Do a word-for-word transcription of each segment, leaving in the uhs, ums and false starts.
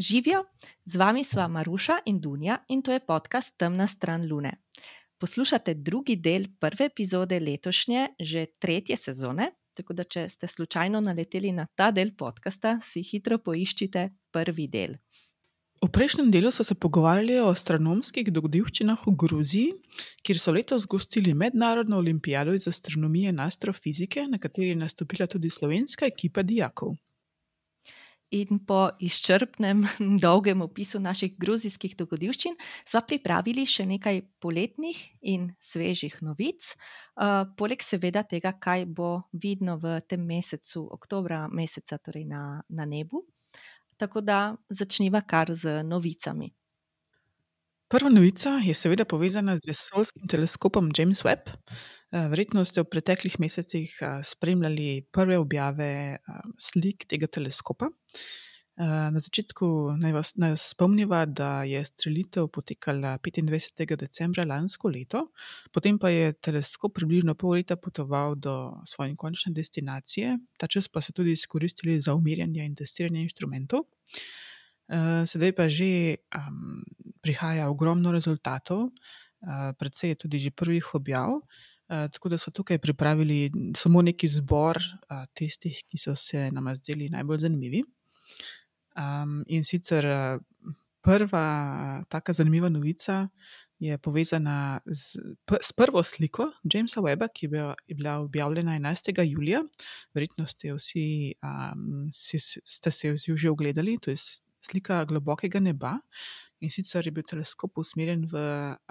Živijo, z vami sva Maruša in Dunja in to je podcast Temna stran Lune. Poslušate drugi del prve epizode letošnje, že tretje sezone, tako da če ste slučajno naleteli na ta del podcasta, si hitro poiščite prvi del. V prejšnjem delu so se pogovarjali o astronomskih dogodivščinah v Gruziji, kjer so letos gostili mednarodno olimpijado iz astronomije in astrofizike, na kateri je nastopila tudi slovenska ekipa dijakov. In po izčrpnem, dolgem opisu naših gruzijskih dogodivščin sva pripravili še nekaj poletnih in svežih novic, uh, poleg seveda tega, kaj bo vidno v tem mesecu, oktobra meseca, torej na, na nebu. Tako da začniva kar z novicami. Prva novica je seveda povezana z vesoljskim teleskopom James Webb. Verjetno ste v preteklih mesecih spremljali prve objave slik tega teleskopa. Na začetku naj vas, naj vas spomniva, da je strelitev potekala petindvajsetega decembra lansko leto, potem pa je teleskop približno pol leta potoval do svoje končne destinacije, ta čas pa so tudi izkoristili za umirjanje in testiranje inštrumentov. Sedaj pa že um, prihaja ogromno rezultatov, uh, predvsej je tudi že prvih objav, uh, tako da so tukaj pripravili samo neki zbor uh, tistih, ki so se nama zdeli najbolj zanimivi. Um, in sicer uh, prva uh, taka zanimiva novica je povezana z, p- s prvo sliko Jamesa Webba, ki je bila, je bila objavljena enajstega julija. Verjetno ste vsi, um, si, ste se jo že ogledali, to je slika globokega neba, in sicer je bil teleskop usmerjen v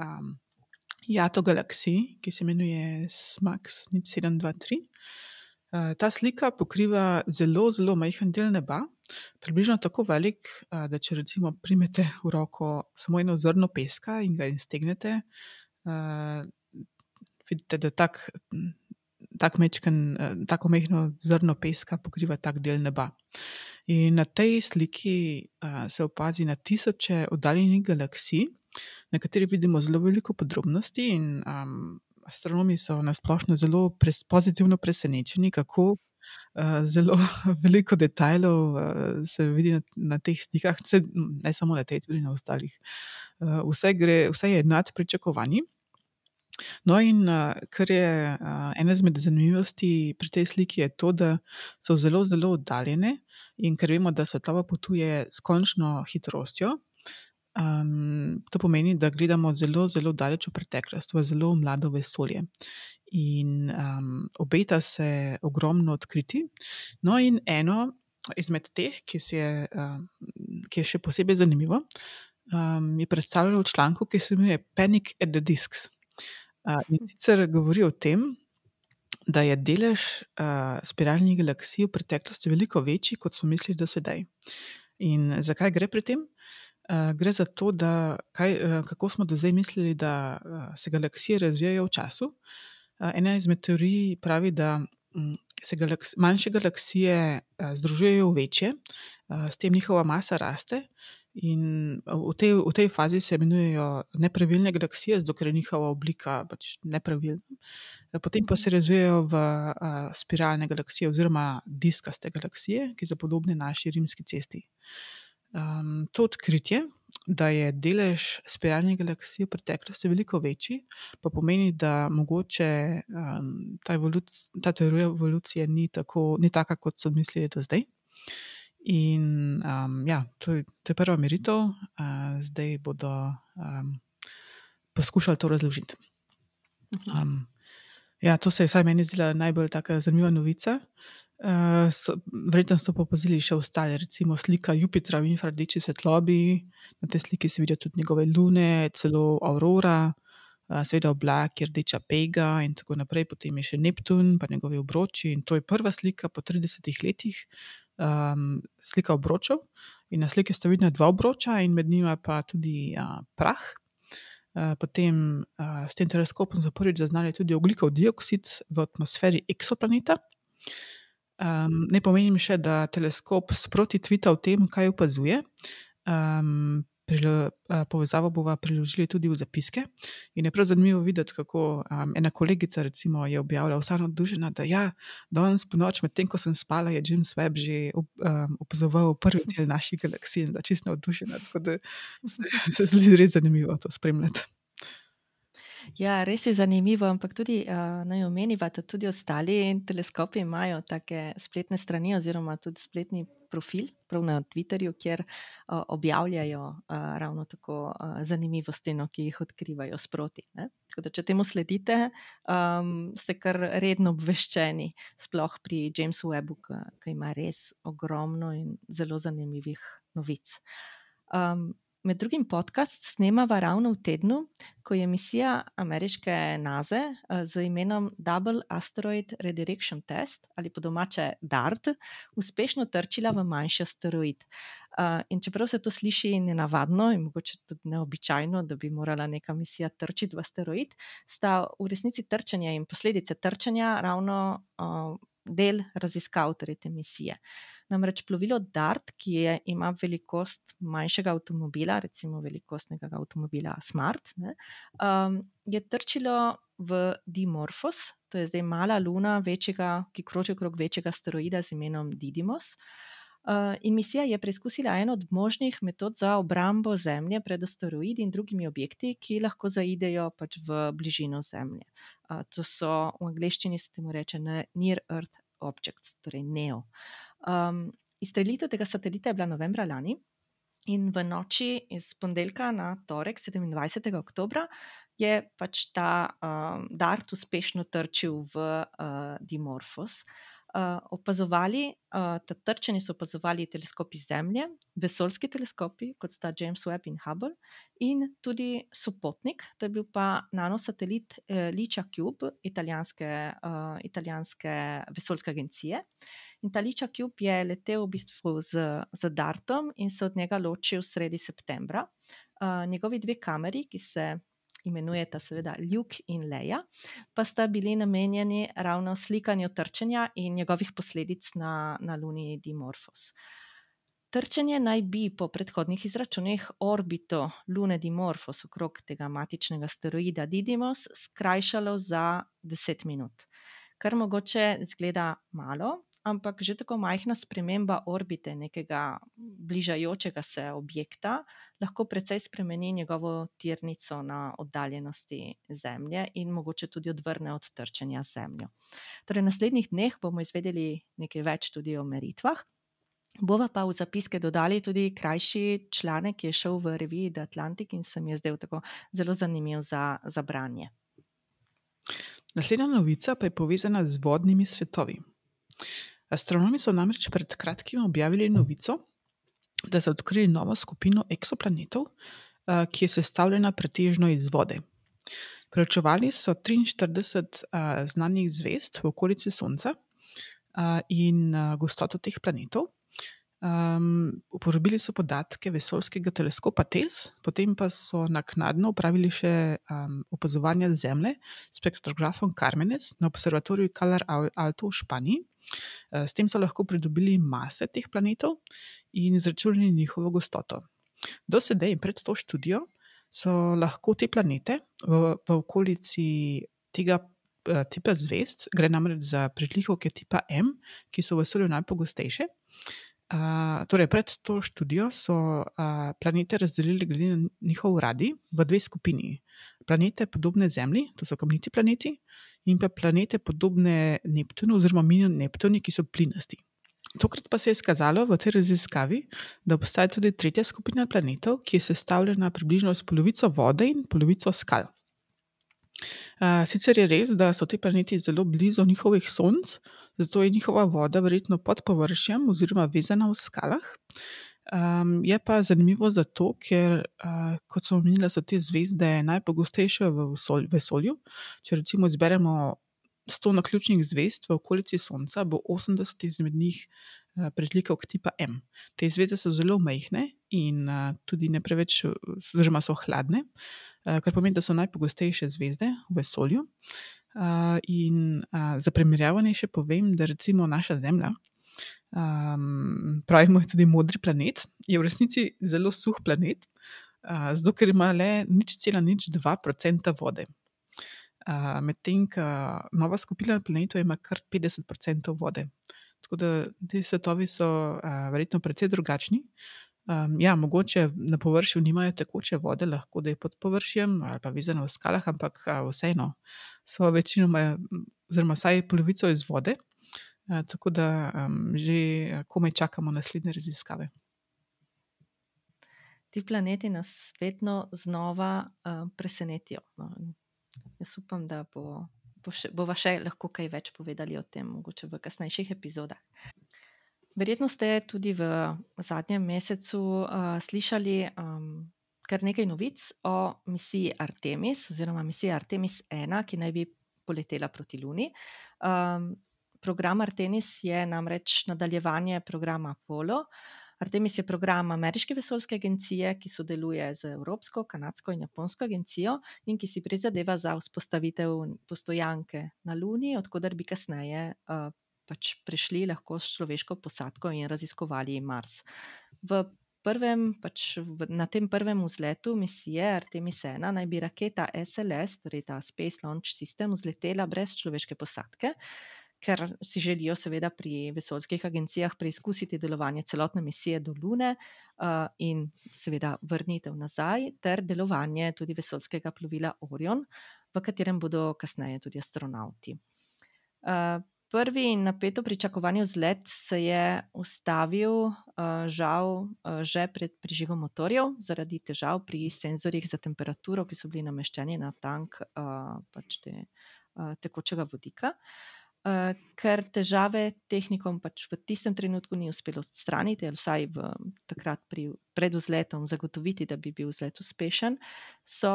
um, jato galaksiji, ki se imenuje SMACS nič sedem dva tri. Uh, ta slika pokriva zelo, zelo majhen del neba, približno tako velik, uh, da če recimo primete v roko samo eno zrno peska in ga iztegnete, uh, vidite, da tak, tak mečken, uh, tako majhno zrno peska pokriva tak del neba. In na tej sliki uh, se opazi na tisoče oddaljenih galaksij, na kateri vidimo zelo veliko podrobnosti in um, astronomi so nasplošno zelo pres, pozitivno presenečeni, kako uh, zelo veliko detajlov uh, se vidi na, na teh slikah, vse, ne samo na tej, tudi na ostalih. Uh, vse, gre, vse je nad pričakovanji. No in uh, kar je uh, ena izmed zanimivosti pri tej sliki je to, da so zelo, zelo oddaljene in ker vemo, da svetloba potuje s končno hitrostjo, um, to pomeni, da gledamo zelo, zelo daleč v preteklost, v zelo mlado vesolje. In um, obeta se ogromno odkriti. No in eno izmed teh, ki, si je, um, ki je še posebej zanimivo, um, je predstavljeno v članku, ki se imenuje Panic at the Discs. Uh, in sicer govori o tem, da je delež uh, spiralnih galaksij v preteklosti veliko večji, kot smo mislili do sedaj. In zakaj gre pri tem? Uh, gre za to, da kaj, uh, kako smo do zdaj mislili, da uh, se galaksije razvijajo v času. Uh, ena izmed teorij pravi, da um, se galaks, manjše galaksije uh, združujejo v večje, uh, s tem njihova masa raste. In v tej, v tej fazi se imenujejo nepravilne galaksije, zato ker je njihova oblika pač nepravilna. Potem pa se razvijajo v uh, spiralne galaksije oziroma diskaste galaksije, ki so podobne naši rimski cesti. Um, to odkritje, da je delež spiralnih galaksij v preteklosti veliko večji, pa pomeni, da mogoče um, ta, evoluc, ta teorija evolucije ni, tako, ni taka, kot so mislili do zdaj. In um, ja, to je, to je prva meritev, uh, zdaj bodo um, poskušali to razložiti. Um, ja, to se je vsaj meni zdela najbolj taka zanimiva novica. Uh, so, verjetno ste pa opazili še ostale, recimo slika Jupitra v infrardeči svetlobi, na tej sliki se vidijo tudi njegove lune, celo aurora, uh, seveda oblak, rdeča pega in tako naprej, potem je še Neptun, pa njegovi obroči in to je prva slika po tridesetih letih, Um, slika obročev in na sliki sta vidna dva obroča in med njima pa tudi uh, prah. Uh, potem uh, s tem teleskopom so prvič zaznali tudi ogljikov dioksid v atmosferi eksoplaneta. Um, ne pomenim še, da teleskop sproti tvita o tem, kaj opazuje. Um, prilo, uh, povezavo bova priložili tudi v zapiske. In je prav zanimivo videti, kako um, ena kolegica recimo je objavila vsa navdušena, da ja, danes po noč, medtem ko sem spala, je James Webb že op, um, opazoval prvi del naših galaksij in da čisto navdušena. Tako da se, se zdi res zanimivo to spremljati. Ja, res je zanimivo, ampak tudi uh, naj omeniva, da tudi ostali teleskopi imajo take spletne strani oziroma tudi spletni profil, prav na Twitterju, kjer uh, objavljajo uh, ravno tako uh, zanimivosti, no, ki jih odkrivajo sproti. Ne? Tako da, če temu sledite, um, ste kar redno obveščeni, sploh pri Jamesu Webbu, ki ima res ogromno in zelo zanimivih novic. Um, Med drugim podcast snemava ravno v tednu, ko je misija ameriške NASA z imenom Double Asteroid Redirection Test, ali po domače DART, uspešno trčila v manjši asteroid. In čeprav se to sliši nenavadno in mogoče tudi neobičajno, da bi morala neka misija trčiti v asteroid, sta v resnici trčenje in posledice trčenja ravno del raziskav torej te misije. Namreč plovilo DART, ki je, ima velikost manjšega avtomobila, recimo velikostnega avtomobila Smart, ne, um, je trčilo v Dimorphos, to je zdaj mala luna, večjega, ki kroži okrog večjega asteroida z imenom Didymos. Uh, in misija je preizkusila eno od možnih metod za obrambo Zemlje pred asteroidi in drugimi objekti, ki lahko zaidejo pač v bližino Zemlje. Uh, to so v angleščini se temu reče Near Earth Objects, torej NEO. Um, izstrelitev tega satelita je bila novembra lani in v noči iz ponedeljka na torek, sedemindvajsetega oktobra, je pač ta um, DART uspešno trčil v uh, Dimorphos. Uh, opazovali, uh, ta trčenje so opazovali teleskopi Zemlje, vesoljski teleskopi, kot sta James Webb in Hubble, in tudi sopotnik, to je bil pa nanosatelit eh, LICIA-Cube, italijanske, uh, italijanske vesoljske agencije. In ta LICIA-Cube je letel v bistvu z, z DARTom in se od njega ločil sredi septembra. Uh, njegovi dve kameri, ki se imenujeta seveda Luke in Leia, pa sta bili namenjeni ravno slikanju trčenja in njegovih posledic na, na luni Dimorphos. Trčenje naj bi po predhodnih izračunih orbito lune Dimorphos okrog tega matičnega asteroida Didymos skrajšalo za deset minut, kar mogoče izgleda malo, ampak že tako majhna sprememba orbite nekega bližajočega se objekta lahko precej spremeni njegovo tirnico na oddaljenosti Zemlje in mogoče tudi odvrne od trčenja z Zemljo. Torej, v naslednjih dneh bomo izvedeli nekaj več tudi o meritvah. Bova pa v zapiske dodali tudi krajši članek, ki je šel v reviji The Atlantic in se mi je zdel tako zelo zanimiv za, za branje. Naslednja novica pa je povezana z vodnimi svetovi. Astronomi so namreč pred kratkim objavili novico, da so odkrili novo skupino eksoplanetov, ki je sestavljena pretežno iz vode. Preučevali so triinštirideset znanih zvezd v okolici Sonca in gostoto teh planetov. Um, uporabili so podatke vesoljskega teleskopa TESS, potem pa so naknadno upravili še um, opazovanja Zemlje s spektrografom Carmenes na observatoriju Calar Alto v Španiji. Uh, s tem so lahko pridobili mase teh planetov in izračunali njihovo gostoto. Do sedaj pred to študijo so lahko te planete v, v okolici tega uh, tipa zvezd, gre namreč za pritlikovke tipa M, ki so v vesolju najpogostejše. Uh, torej pred to študijo so uh, planete razdelili glede na njihov radij v dve skupini. Planete podobne Zemlji, to so kamniti planeti, in pa planete podobne Neptunu oziroma mini Neptuni, ki so plinasti. Tokrat pa se je izkazalo v tej raziskavi, da obstaja tudi tretja skupina planetov, ki je sestavljena približno s polovico vode in polovico skal. Uh, sicer je res, da so ti planeti zelo blizu njihovih sonc, zato je njihova voda verjetno pod površjem oziroma vezana v skalah. Um, je pa zanimivo zato, ker, uh, kot sem omenila, so te zvezde najpogostejše v vesolju. Če recimo izberemo sto naključnih zvezd v okolici Sonca, bo osemdeset izmed njih uh, pritlikavk tipa M. Te zvezde so zelo majhne in uh, tudi ne preveč, oziroma so hladne, uh, kar pomeni, da so najpogostejše zvezde v vesolju. Uh, in uh, za primerjavanje še povem, da recimo naša Zemlja, um, pravimo je tudi modri planet, je v resnici zelo suh planet, uh, zato ker ima le nič cela nič dva procenta vode. Uh, Medtem, ko nova skupina planetov ima kar petdeset procentov vode. Tako da ti svetovi so uh, verjetno precej drugačni. Um, ja, mogoče na površju nimajo tekoče vode, lahko da je pod površjem ali pa vezano v skalah, ampak uh, vseeno so večinoma, oziroma vsaj polovico iz vode. Uh, tako da um, že komaj čakamo naslednje raziskave. Ti planeti nas vedno znova uh, presenetijo. No. Jaz upam, da bo, bo še, bova še lahko kaj več povedali o tem, mogoče v kasnejših epizodah. Verjetno ste tudi v zadnjem mesecu uh, slišali um, kar nekaj novic o misiji Artemis, oziroma misiji Artemis ena, ki naj bi poletela proti Luni. Um, program Artemis je namreč nadaljevanje programa Apollo. Artemis je program Ameriške vesoljske agencije, ki sodeluje z Evropsko, Kanadsko in Japonsko agencijo in ki si prizadeva za vzpostavitev postojanke na Luni, odkudar bi kasneje uh, pač prišli lahko s človeško posadko in raziskovali Mars. V prvem, pač v, na tem prvem vzletu misije Artemis ena naj bi raketa S L S, torej ta Space Launch System, vzletela brez človeške posadke, ker si želijo seveda pri vesoljskih agencijah preizkusiti delovanje celotne misije do Lune uh, in seveda vrnitev nazaj ter delovanje tudi vesoljskega plovila Orion, v katerem bodo kasneje tudi astronauti. Uh, prvi in napeto pričakovani vzlet se je ustavil uh, žal uh, že pred prižigom motorjev zaradi težav pri senzorjih za temperaturo, ki so bili nameščeni na tank uh, pač te, uh, tekočega vodika. Uh, ker težave tehnikom pač v tistem trenutku ni uspelo odstraniti, ali vsaj v, takrat pri, pred vzletom zagotoviti, da bi bil vzlet uspešen, so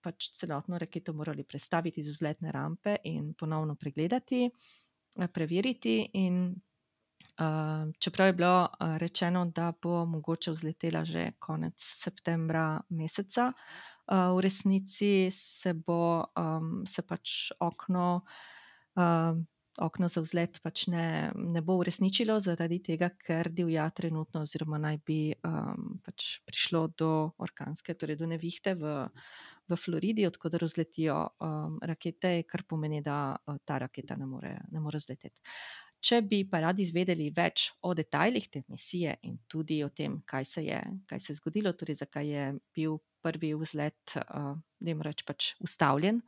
pač celotno raketo morali prestaviti z vzletne rampe in ponovno pregledati, preveriti. In uh, čeprav je bilo uh, rečeno, da bo mogoče vzletela že konec septembra meseca, uh, v resnici se bo um, se pač okno uh, Okno za vzlet pač ne, ne bo uresničilo zaradi tega, ker divja trenutno oziroma naj bi um, pač prišlo do orkanske, torej do nevihte v, v Floridi, odkudar vzletijo um, rakete, kar pomeni, da uh, ta raketa ne more, ne more vzleteti. Če bi pa radi izvedeli več o detajlih te misije in tudi o tem, kaj se je, kaj se je zgodilo, torej zakaj je bil prvi vzlet, uh, da jim reč pač ustavljen,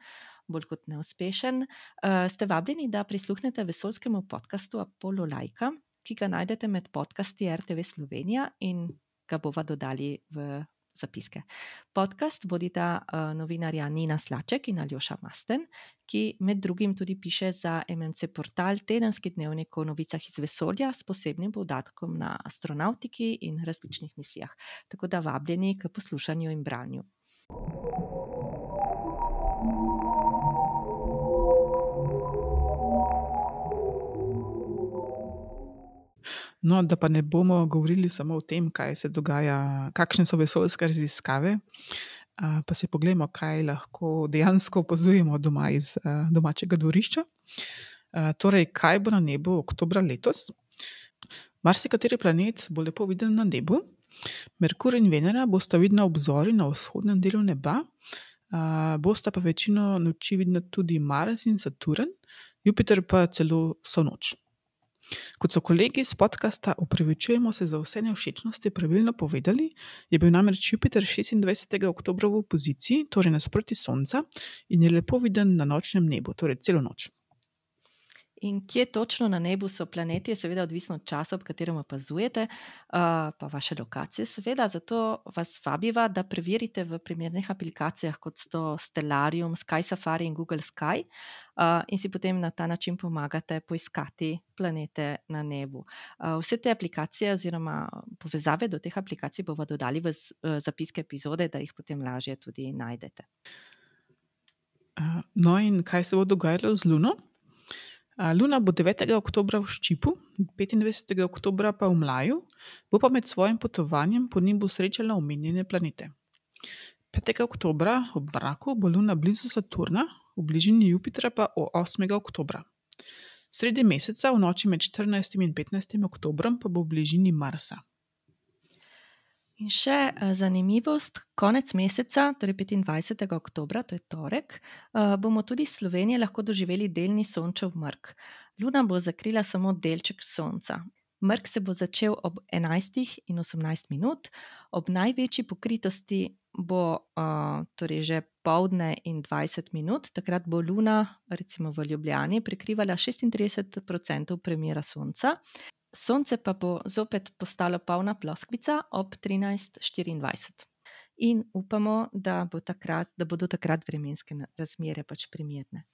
bolj kot neuspešen, uh, ste vabljeni, da prisluhnete vesoljskemu podcastu Apollo Lajka, ki ga najdete med podcasti R T V Slovenija in ga bova dodali v zapiske. Podcast vodita uh, novinarja Nina Slaček in Aljoša Masten, ki med drugim tudi piše za M M C portal Tedenski dnevnik o novicah iz vesolja s posebnim poudarkom na astronautiki in različnih misijah. Tako da vabljeni k poslušanju in branju. No, da pa ne bomo govorili samo o tem, kaj se dogaja, kakšne so vesoljske raziskave, pa si poglejmo, kaj lahko dejansko opazujemo doma iz domačega dvorišča. Torej, kaj bo na nebu oktobra letos? Marsikateri planet bo lepo viden na nebu. Merkur in Venera bosta vidna obzori na vzhodnem delu neba, bosta pa večino noči vidna tudi Mars in Saturn, Jupiter pa celo vso noč. Kot so kolegi iz podcasta Opravičujemo se za vse nevšečnosti pravilno povedali, je bil namreč Jupiter šestindvajsetega oktobra v opoziciji, torej nasproti Sonca, in je lepo viden na nočnem nebu, torej celo noč. In kje točno na nebu so planeti, je seveda odvisno od časa, ob katerem opazujete, uh, pa vaše lokacije seveda, zato vas vabiva, da preverite v primernih aplikacijah, kot so Stellarium, Sky Safari in Google Sky, uh, in si potem na ta način pomagate poiskati planete na nebu. Uh, vse te aplikacije oziroma povezave do teh aplikacij bomo dodali v z, uh, zapiske epizode, da jih potem lažje tudi najdete. Uh, no in kaj se bo dogajalo z Luno? Luna bo devetega oktobra v Ščipu, petindvajsetega oktobra pa v Mlaju, bo pa med svojim potovanjem po nebu srečala omenjene planete. petega oktobra ob mraku bo Luna blizu Saturna, v bližini Jupitra pa osmega oktobra. Sredi meseca v noči med štirinajstim in petnajstim oktobrom pa bo v bližini Marsa. In še uh, zanimivost, konec meseca, torej petindvajsetega oktobra, to je torek, uh, bomo tudi iz Slovenije lahko doživeli delni sončev mrk. Luna bo zakrila samo delček sonca. Mrk se bo začel ob enajstih in osemnajst minut, ob največji pokritosti bo uh, torej že poldne in dvajset minut, takrat bo Luna, recimo v Ljubljani, prekrivala šestintrideset procentov premjera sonca. Sonce pa bo zopet postalo polna ploskvica ob trinajst štiriindvajset. In upamo, da, bo takrat, da bodo takrat vremenske razmere pač primerne.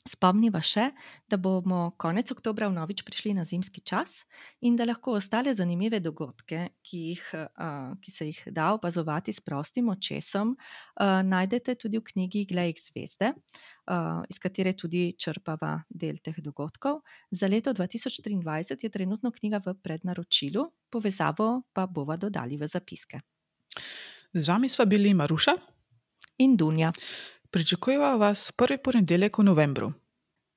Spomniva še, da bomo konec oktobra vnovič prišli na zimski čas in da lahko ostale zanimive dogodke, ki, jih, uh, ki se jih da opazovati s prostim očesom, uh, najdete tudi v knjigi Glej k zvezde, uh, iz katere tudi črpava del teh dogodkov. Za leto dva tisoč triindvajset je trenutno knjiga v prednaročilu, povezavo pa bova dodali v zapiske. Z vami sva bili Maruša in Dunja. Pričakujeva vas prvi ponedeljek v novembru.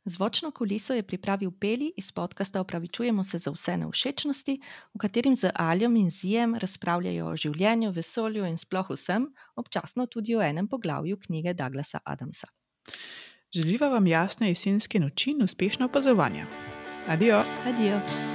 Zvočno kuliso je pripravil Peli iz podcasta Opravičujemo se za vse nevšečnosti, v katerim z Aljom in Zijem razpravljajo o življenju, vesolju in sploh vsem, občasno tudi o enem poglavju knjige Douglasa Adamsa. Želiva vam jasne jesenske noči in uspešno opazovanje. Adijo. Adijo.